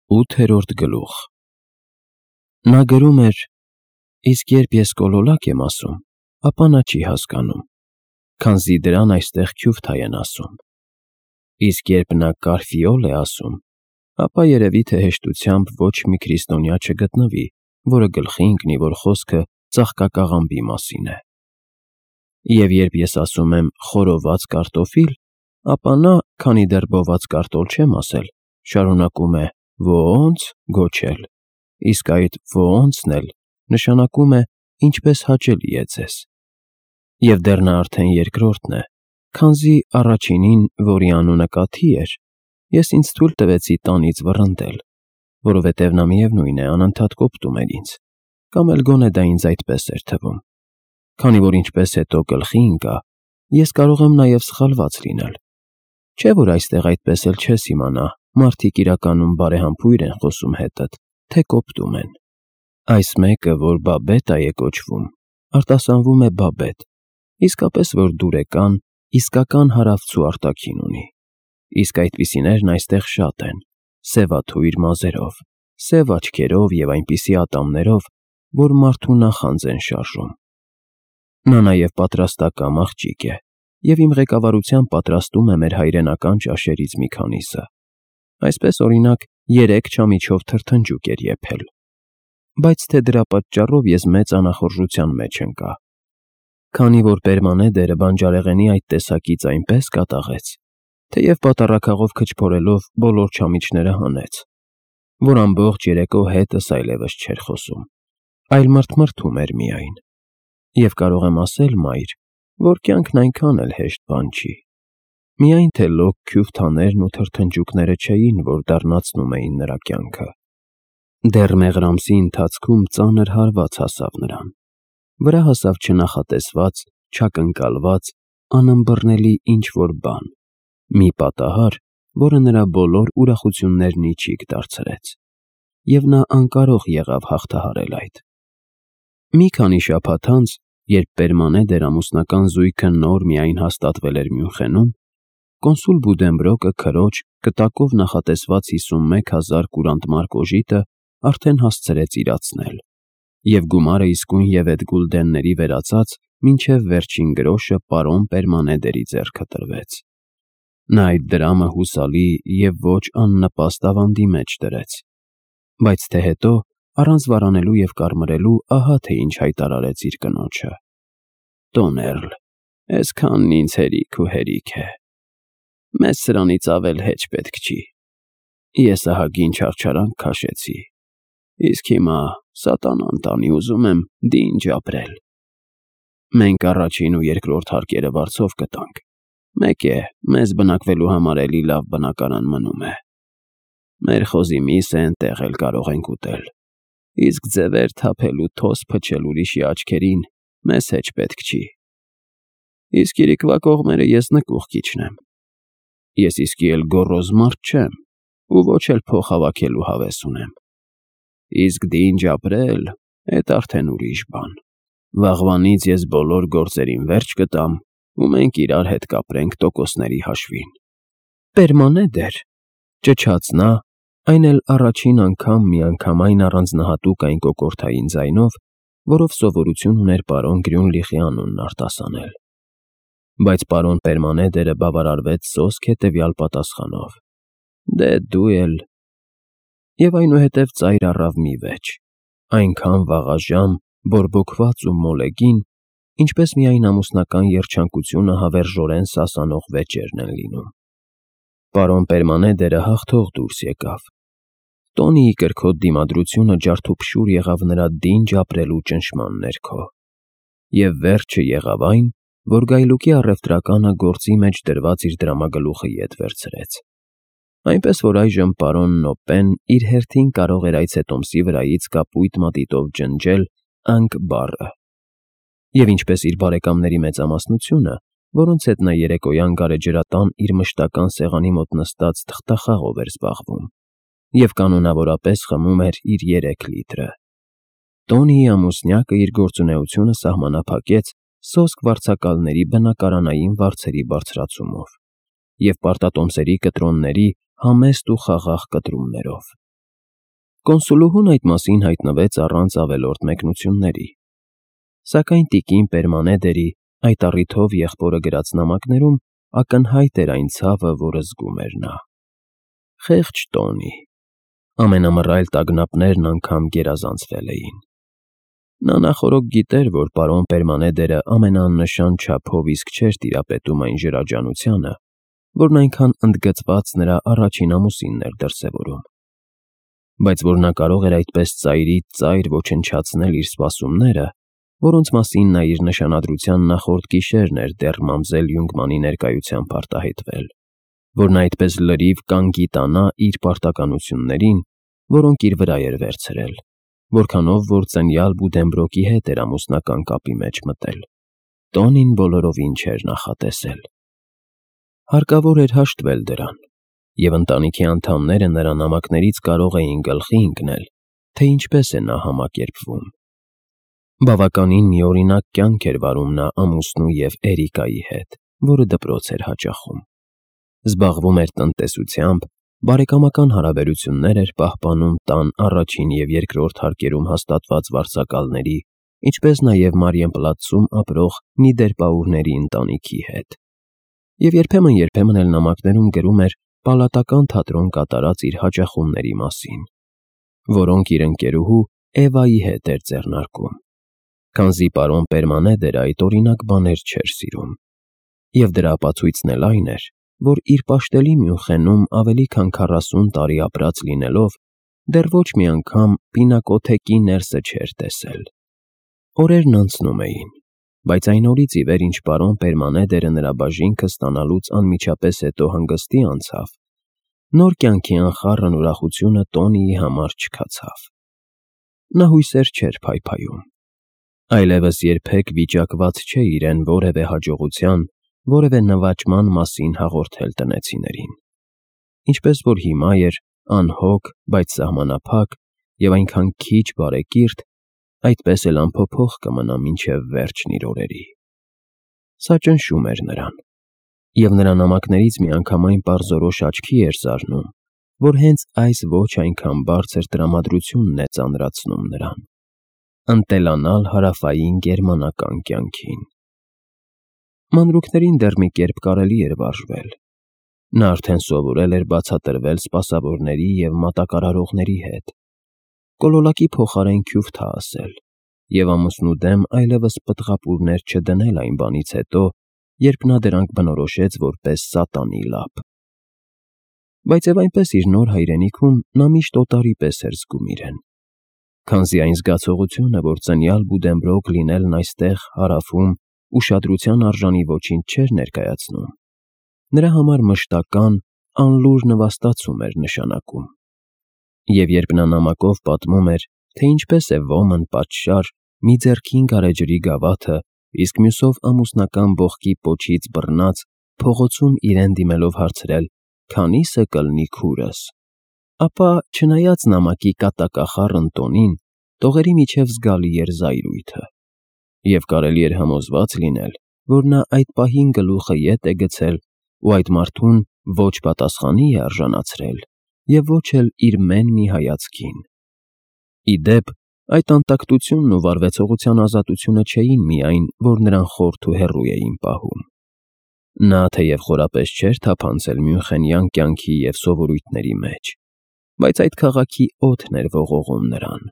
8-րդ գլուխ։ Նա գրում էր. իսկ երբ ես կոլոլակ եմ ասում, ապա նա չի հասկանում, քանզի դրան այստեղ քյուվթայ են ասում. իսկ երբ նա կարֆիոլ է ասում, ապա երևի թե հեշտությամբ ոչ մի քրիստոնյա չգտնվի, որը գլխի ընկնի, որ խոսքը ծաղկակաղամբի մասին է։ Եվ երբ ես ասում եմ խորոված կարտոֆիլ, ապա նա, քանի դեռ բոված կարտոլ չեմ ասել, շարունակում է «Ո՞նց» գոչել, իսկ այդ «ո՞նց»-ն էլ նշանակում է «ինչպես հաճելի է ձեզ»։ Եվ դեռ նա արդեն երկրորդն է, քանզի առաջինին, որի անունը Կաթի էր, ես ինձ թույլ տվեցի տանից վռնդել, որովհետև նա միևնույն է անընդհատ կոպտում էր ինձ, կամ էլ գոնե դա ինձ այդպես էր թվում։ Քանի որ ինչպես հետո գլխի ընկա, ես կարող եմ նաև սխալված լինել։ Չէ՞ որ այստեղ այդպես էլ չես իմանա, մարդիկ իրականում բարեհամբույր են խոսում հետդ, թե կոպտում են։ Այս մեկը, որ Բաբետա է կոչվում, արտասանվում է Բաբետ, իսկապես որ դուրեկան, իսկական հարավցու արտաքին ունի։ Իսկ այդպիսիներն այստեղ շատ են, սևաթույր մազերով, սև աչքերով և այնպիսի ատամներով, որ մարդու նախանձ են շարժում։ Նա նաև պատրաստակամ աղջիկ է, և իմ ղեկավարությամբ պատրաստում է մեր հայրենական ճաշերից մի քանիսը։ Այսպես, օրինակ, 3 չամիչով թրթնջուկ էր եփել։ Բայց թե դրա պատճառով ես մեծ անախորժության մեջ ընկա։ Քանի որ Պերմանեդերը բանջարեղենի այդ տեսակից այնպես կատաղեց, թեև պատառաքաղով քչփորելով բոլոր չամիչները հանեց, որ ամբողջ երեկո հետս այլևս չէր խոսում, այլ մրթմրթում էր միայն։ Եվ կարող եմ ասել, մայր, որ կյանքն այնքան էլ հեշտ բան չի։ Միայն թե լոկ քյուվթաներն ու թրթնջուկները չէին, որ դառնացնում էին նրա կյանքը։ Դեռ մեղրամսի ընթացքում ծանր հարված հասավ նրան։ Վրա հասավ չնախատեսված, չակնկալված, անըմբռնելի ինչ-որ բան, մի պատահար, որը նրա բոլոր ուրախություններն իջիկ դարձրեց, և նա անկարող եղավ հաղթահարել այդ։ Մի քանի շաբաթ անց, երբ Պերմանեդեր ամուսնական զույգը նոր միայն հաստատվել էր Մյունխենում, կոնսուլ Բուդենբրոկը քրոջ կտակով նախատեսված 51,000 կուրանտ մարկ օժիտը արդեն հասցրեց իրացնել, և գումարը իսկույն ևեթ գուլդենների վերածած մինչև վերջին գրոշը պարոն Պերմանեդերի ձեռքը տրվեց։ Նա այդ դրամը հուսալի և ոչ աննպաստ ավանդի մեջ դրեց։ Բայց թե հետո, առանց վարանելու և կարմրելու, ահա թե ինչ հայտարարեց իր կնոջը. «Տոներլ, էսքանն ինձ հերիք ու հերիք է։ Մեզ սրանից ավել հեչ պետք չի։ Ես ահագին չարչարանք քաշեցի, իսկ հիմա սատանան տանի ուզում եմ դինջ ապրել։ Մենք առաջին ու երկրորդ հարկերը վարձով կտանք, մեկ է, մեզ բնակվելու համար էլի լավ բնակարան մնում է։ Մեր խոզի միսը էնտեղ էլ կարող ենք ուտել, իսկ ձևեր թափել ու թոս փչել ուրիշի աչքերին մեզ հեչ պետք չի։ Իսկ իրիկվա կողմերը ես նկուղ կիջնեմ։ Ես իսկի էլ գոռոզ մարդ չեմ, ու ոչ էլ փող հավաքելու հավես ունեմ։ Իսկ դինջ ապրել, էդ արդեն ուրիշ բան։ Վաղվանից ես բոլոր գործերին վերջ կտամ, ու մենք իրար հետ կապրենք տոկոսների հաշվին»։ «Պերմանեդեր», ճչաց նա, այն էլ առաջին անգամ միանգամայն առանձնահատուկ այն կոկորդային ձայնով, որով սովորություն ուներ պարոն Գրյունլիխի անունն արտասանել։ Բայց պարոն Պերմանեդերը բավարարվեց սոսկ հետևյալ պատասխանով. «Դե դու էլ»։ Եվ այնուհետև ծայր առավ մի վեճ, այնքան վաղաժամ, բորբոքված ու մոլեգին, ինչպես միայն ամուսնական երջանկությունը հավերժորեն սասանող վեճերն են լինում։ Պարոն Պերմանեդերը հաղթող դուրս եկավ։ Տոնիի կրքոտ դիմադրությունը ջարդուփշուր եղավ նրա դինջ ապրելու ճնշման ներքո։ Եվ վերջը եղավ այն, որ գայլուկի առևտրականը գործի մեջ դրված իր դրամագլուխը ետ վերցրեց։ Այնպես որ այժմ պարոն Նոպեն իր հերթին կարող էր այցետոմսի վրայից կապույտ մատիտով ջնջել «Անգ» բառը։ Եվ ինչպես իր բարեկամների մեծամասնությունը, որոնց հետ նա երեկոյան գարեջրատան իր մշտական սեղանի մոտ նստած թղթախաղով էր զբաղվում, և կանոնավորապես խմում էր իր 3 լիտրը։ Տոնիի ամուսնյակը իր գործունեությունը սահմանափակեց սոսկ վարձակալների բնակարանային վարձերի բարձրացումով և պարտատոմսերի կտրոնների համեստ ու խաղաղ կտրումներով։ Կոնսուլուհուն այդ մասին հայտնվեց առանց ավելորդ մեկնությունների, սակայն տիկին Պերմանեդերի այդ առիթով եղբորը գրած նամակներում ակնհայտ էր այն ցավը, որը զգում էր նա։ Խեղճ Տոնի, ամենամռայլ տագնապներն անգամ գերազանցվել էին։ Նա նախօրոք գիտեր, որ պարոն Պերմանեդերը ամենաաննշան չափով իսկ չէր տիրապետում այն ջրաջանությանը, որն այնքան ընդգծված նրա առաջին ամուսինն էր դրսևորում, բայց որ նա կարող էր այդպես ծայրից ծայր ոչնչացնել իր սպասումները, որոնց մասին նա իր նշանադրության նախորդ գիշերն էր դեռ մամզել Յունգմանի ներկայությամբ արտահայտվել, որ նա այդպես լրիվ կանգիտանա իր պարտականություններին, որոնք իր վրա էր վերցրել, որքանով որ ծնյալ Բուդենբրոկի հետ էր ամուսնական կապի մեջ մտել, Տոնին բոլորովին չէր նախատեսել։ Հարկավոր էր հաշտվել դրան, և ընտանիքի անդամները նրա նամակներից կարող էին գլխի ընկնել, թե ինչպես է նա համակերպվում։ Բավականին միօրինակ կյանք էր վարում նա ամուսնու և Էրիկայի հետ, որը դպրոց էր հաճախում։ Զբաղվում էր տնտեսությամբ, բարեկամական հարաբերություններ էր պահպանում տան առաջին և երկրորդ հարկերում հաստատված վարձակալների, ինչպես նաև Մարիենպլացում ապրող Նիդերպաուրների ընտանիքի հետ։ Եվ երբեմն էլ նամակներում գրում էր պալատական թատրոն կատարած իր հաճախումների մասին, որոնք իր ընկերուհու Էվայի հետ էր ձեռնարկում, քանզի պարոն Պերմանեդերը այդ օրինակ բաներ չէր սիրում, և դրա ապացույցն էլ այն էր, որ իր պաշտելի Մյունխենում ավելի քան 40 տարի ապրած լինելով, դեռ ոչ մի անգամ պինակոթեկի ներսը չէր տեսել։ Օրերն անցնում էին, բայց այն օրից ի վեր, ինչ պարոն Պերմանեդերը նրա բաժինքը ստանալուց անմիջապես հետո հանգստի անցավ, նոր կյանքի անխառն ուրախությունը Տոնիի համար չքացավ։ Նա հույսեր չէր փայփայում, այլևս երբեք վիճակված չէ իրեն որևէ հաջողության, որևէ նվաճման մասին հաղորդել տնեցիներին, ինչպես որ հիմա էր անհոգ, բայց սահմանափակ և այնքան քիչ բարեկիրթ, այդպես էլ անփոփոխ կմնա մինչև վերջն իր օրերի։ Սա ճնշում էր նրան, և նրա նամակներից միանգամայն պարզորոշ աչքի էր զարնում, որ հենց այս ոչ այնքան բարձր տրամադրությունն է ծանրացնում նրան, ընտելանալ հարավային գերմանական կյանքին։ Մանրուքներին դեռ մի կերպ կարելի էր վարժվել։ Նա արդեն սովորել էր բացատրվել սպասավորների և մատակարարողների հետ, կոլոլակի փոխարեն քյուֆթա ասել և ամուսնու դեմ այլևս պտղապուրներ չդնել այն բանից հետո, երբ նա դրանք բնորոշեց որպես սատանի լափ։ Բայց և այնպես իր նոր հայրենիքում նա միշտ օտարի պես էր զգում իրեն, քանզի այն զգացողությունը, որ ծնյալ Բուդենբրոկ լինելն այստեղ հարավում ուշադրության արժանի ոչինչ չէր ներկայացնում, նրա համար մշտական, անլուր նվաստացում էր նշանակում։ Եվ երբ նա նամակով պատմում էր, թե ինչպես է ոմն պատշաճ մի ձեռքին գարեջրի գավաթը, իսկ մյուսով ամուսնական բողկի պոչից բռնած փողոցում իրեն դիմելով հարցրել. «Քանի՞սը կլնի քուրս», ապա, չնայած նամակի կատակախառն տոնին, տողերի միջև զգալի էր զայրույթը, և կարելի էր համոզված լինել, որ նա այդ պահին գլուխը ետ է գցել ու այդ մարդուն ոչ պատասխանի է արժանացրել և ոչ էլ իր մեն մի հայացքին։ Ի դեպ, այդ անտակտությունն ու վարվեցողության ազատությունը չէին միայն, որ նրան խորթ ու հեռու էին պահում։ Նա թեև խորապես չէր թափանցել մյունխենյան կյանքի և սովորույթների մեջ, բայց այդ քաղաքի օդն էր ողողում նրան,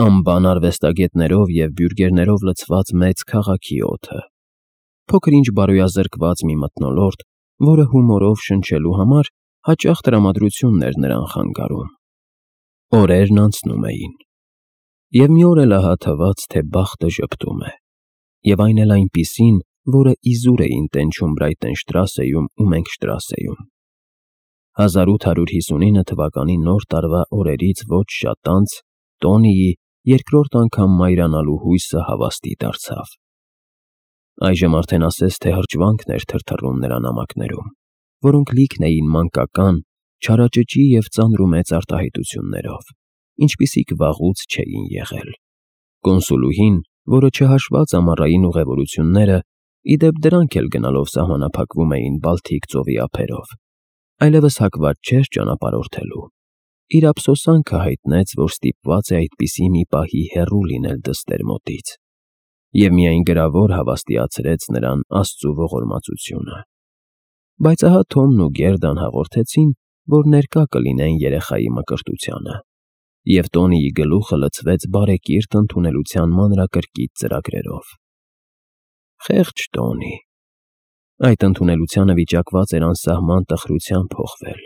անբան արվեստագետներով և բյուրգերներով լցված մեծ քաղաքի օդը, փոքր-ինչ բարոյազրկված մի մթնոլորտ, որը հումորով շնչելու համար հաճախ տրամադրությունն էր նրան խանգարում։ Օրերն անցնում էին, և մի օր էլ ահա թվաց, թե բախտը ժպտում է, և այն էլ այնպիսին, որը իզուր էին տենչում Բրայտենշտրասեում ու Մենքշտրասեում։ 1859 թվականի նոր տարվա օրերից ոչ շատ անց Տոնիի երկրորդ անգամ մայրանալու հույսը հավաստի դարձավ։ Այժմ արդեն ասես թե հրճվանքն էր թրթռում նրա նամակներում, որոնք լիքն էին մանկական, չարաճճի և ծանրումեծ արտահայտություններով, ինչպիսիք վաղուց չէին եղել։ Կոնսուլուհին, որը չհաշված ամառային ուղևորությունները, ի դեպ դրանք էլ գնալով սահմանափակվում էին Բալթիկ ծովի ափերով, այլևս հակված չէր ճանապարհորդելու, իր ափսոսանքը հայտնեց, որ ստիպված է այդպիսի մի պահի հեռու լինել դստեր մոտից, և միայն գրավոր հավաստիացրեց նրան Աստծու ողորմածությունը։ Բայց ահա Թոմն ու Գերդան հաղորդեցին, որ ներկա կլինեն երեխայի մկրտությանը, և Տոնիի գլուխը լցվեց բարեկիրթ ընդունելության մանրակրկիտ ծրագրերով։ Խեղճ Տոնի։ Այդ ընդունելությանը վիճակված էր անսահման տխրությամբ փոխվել,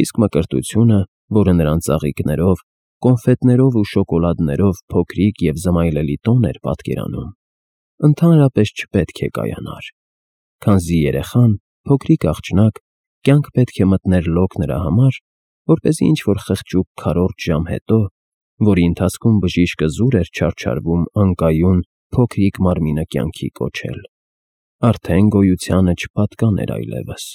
իսկ մկրտությունը, որը նրան ծաղիկներով, կոնֆետներով ու շոկոլադներով փոքրիկ և զմայլելի տոն էր պատկերանում, ընդհանրապես չպետք է կայանար, քանզի երեխան, փոքրիկ աղջնակ, կյանք պետք է մտներ լոկ նրա համար, որպեսզի ինչ-որ խղճուկ քառորդ ժամ հետո, որի ընթացքում բժիշկը զուր էր չարչարվում անկայուն փոքրիկ մարմինը կյանքի կոչել, արդեն գոյությանը չպատկաներ այլևս։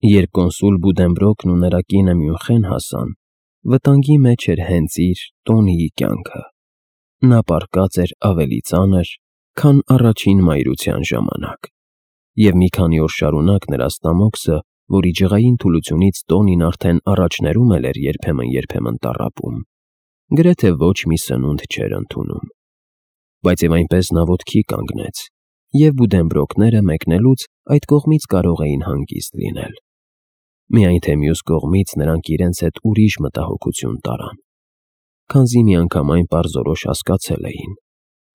Երբ կոնսուլ Բուդենբրոկն ու նրա կինը Մյունխեն հասան, վտանգի մեջ էր հենց իր Տոնիի կյանքը։ Նա պառկած էր ավելի ծանր, քան առաջին մայրության ժամանակ, և մի քանի օր շարունակ նրա ստամոքսը, որի ջղային թուլությունից Տոնին արդեն առաջներում էր երբեմն տառապում, գրեթե ոչ մի սնունդ չէր ընդունում։ Բայց և այնպես նա ոտքի կանգնեց, և Բուդենբրոկները մեկնելուց այդ կողմից կարող էին հանգիստ լինել։ Միայն թե մյուս կողմից նրանք իրենց հետ ուրիշ մտահոգություն տարան, քանզի միանգամայն պարզորոշ հասկացել էին,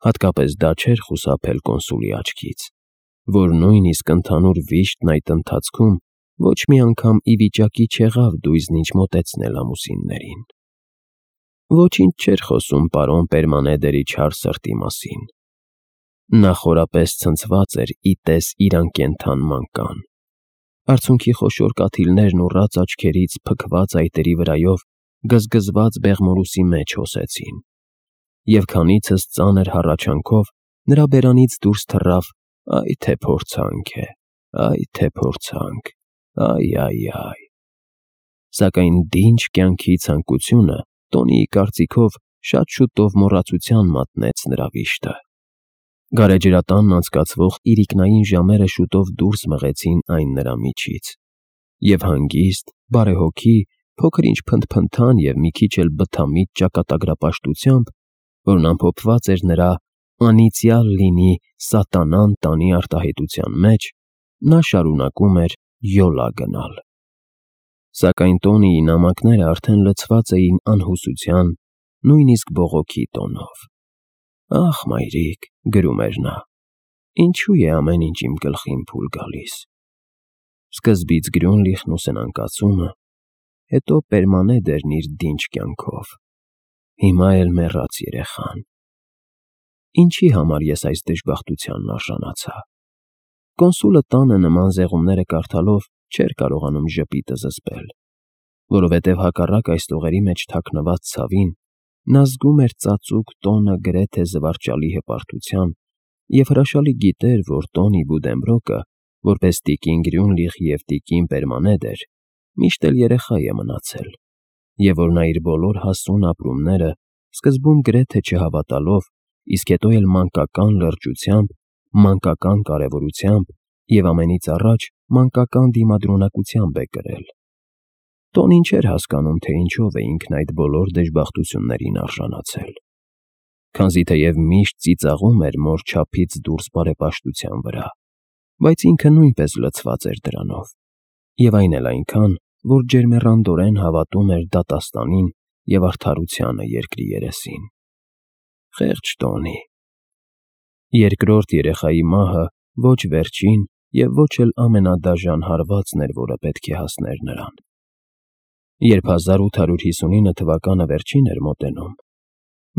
հատկապես դա չէր խուսափել կոնսուլի աչքից, որ նույնիսկ ընդհանուր վիշտն այդ ընթացքում ոչ մի անգամ ի վիճակի չեղավ դույզն ինչ մոտեցնել ամուսիններին։ Ոչինչ չէր խոսում պարոն Պերմանեդերի չար սրտի մասին։ Նա խորապես ցնցված էր ի տես իր անկենդան մանկան։ Արցունքի խոշոր կաթիլներն ուռած աչքերից փքված այտերի վրայով գզգզված բեղմորուսի մեջ հոսեցին, և քանիցս ծանր հառաչանքով նրա բերանից դուրս թռավ «Այ թե փորձանք է, այ թե փորձանք, այ»։ Սակայն դինջ կյանքի ցանկությունը Տոնիի կարծիքով շատ շուտով մոռացության մատնեց նրա վիշտը։ Գարեջրատանն անցկացվող իրիկնային ժամերը շուտով դուրս մղեցին այն նրա միջից, և հանգիստ, բարեհոգի, փոքր-ինչ փնթփնթան և մի քիչ էլ բթամիտ ճակատագրապաշտությամբ, որն ամփոփված էր նրա «անիծյալ լինի սատանան» տանի արտահայտության մեջ, նա շարունակում էր յոլա գնալ։ Սակայն Տոնիի նամակները արդեն լցված էին անհուսության, նույնիսկ բողոքի տոնով։ «Ախ, մայրիկ», գրում էր նա, «ինչու է ամեն ինչ իմ գլխին փուլ գալիս։ Սկզբից Գրյունլիխն ու սնանկացումը, հետո Պերմանեդերն իր դինջ կյանքով, հիմա էլ մեռած երեխան։ Ինչի համար ես այս դժբախտությանն արժանացա»։ Կոնսուլը տանը նման զեղումները կարդալով չէր կարողանում ժպիտը զսպել, որովհետև հակառակ այս տողերի մեջ թաքնված ցավին, նա զգում էր ծածուկ տոնը գրեթե զվարճալի հպարտության և հրաշալի գիտեր, որ Տոնի Բուդենբրոկը, որպես տիկին Գրյունլիխ և տիկին Պերմանեդեր, միշտ էլ երեխա է մնացել, և որ նա իր բոլոր հասուն ապրումները, սկզբում գրեթե չհավատալով, իսկ հետո էլ մանկական լրջությամբ, մանկական կարևորությամբ և ամենից առաջ մանկական դիմադրունակությամբ է կրել։ Տոնին չէր հասկանում, թե ինչով է ինքն այդ բոլոր դժբախտություններին արժանացել, քանզի թեև միշտ ծիծաղում էր մոր չափից դուրս բարեպաշտության վրա, բայց ինքը նույնպես լցված էր դրանով, և այն էլ այնքան, որ ջերմեռանդորեն հավատում էր դատաստանին և արդարությանը երկրի երեսին։ Խեղճ Տոնի։ Երկրորդ երեխայի մահը ոչ վերջին և ոչ էլ ամենադաժան հարվածն էր, որը պետք է հասներ նրան։ Երբ 1859 թվականը վերջին էր մոտենում,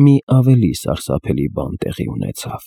մի ավելի սարսափելի բան տեղի ունեցավ։